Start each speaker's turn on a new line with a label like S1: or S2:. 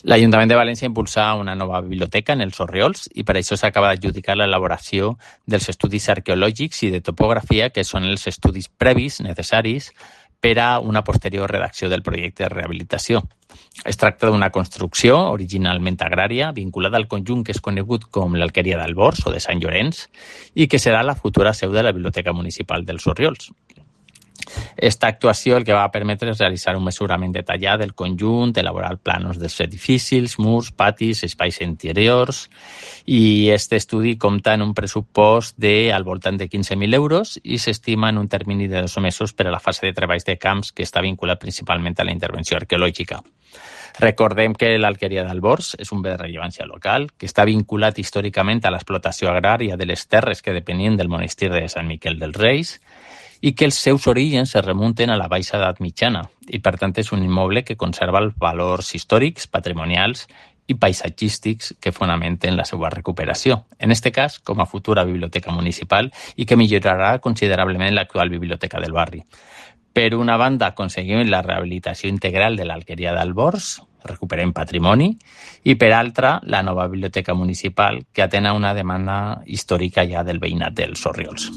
S1: L'Ajuntament de València impulsa una nova biblioteca en els Orriols i per això s'acaba d'adjudicar l'elaboració dels estudis arqueològics i de topografia, que són els estudis previs necessaris per a una posterior redacció del projecte de rehabilitació. Es tracta d'una construcció originalment agrària vinculada al conjunt que és conegut com l'Alqueria d'Albors o de Sant Llorenç i que serà la futura seu de la Biblioteca Municipal dels Orriols. Esta actuació el que va permetre és realitzar un mesurament detallat del conjunt, elaborar planos dels edificis, murs, patis, espais interiors, i aquest estudi compta en un pressupost al voltant de 15.000 euros i s'estima en un termini de 2 mesos per a la fase de treballs de camps que està vinculat principalment a la intervenció arqueològica. Recordem que l'Alqueria d'Albors és un bé de rellevància local que està vinculat històricament a l'explotació agrària de les terres que depenien del monestir de Sant Miquel dels Reis i que els seus orígens es remunten a la baixa edat mitjana i, per tant, és un immoble que conserva els valors històrics, patrimonials i paisatgístics que fonamenten la seva recuperació, en aquest cas com a futura biblioteca municipal i que millorarà considerablement l'actual biblioteca del barri. Per una banda, aconseguim la rehabilitació integral de l'Alqueria d'Albors, recuperem patrimoni, i per altra, la nova biblioteca municipal que atén a una demanda històrica ja del veïnat dels Orriols.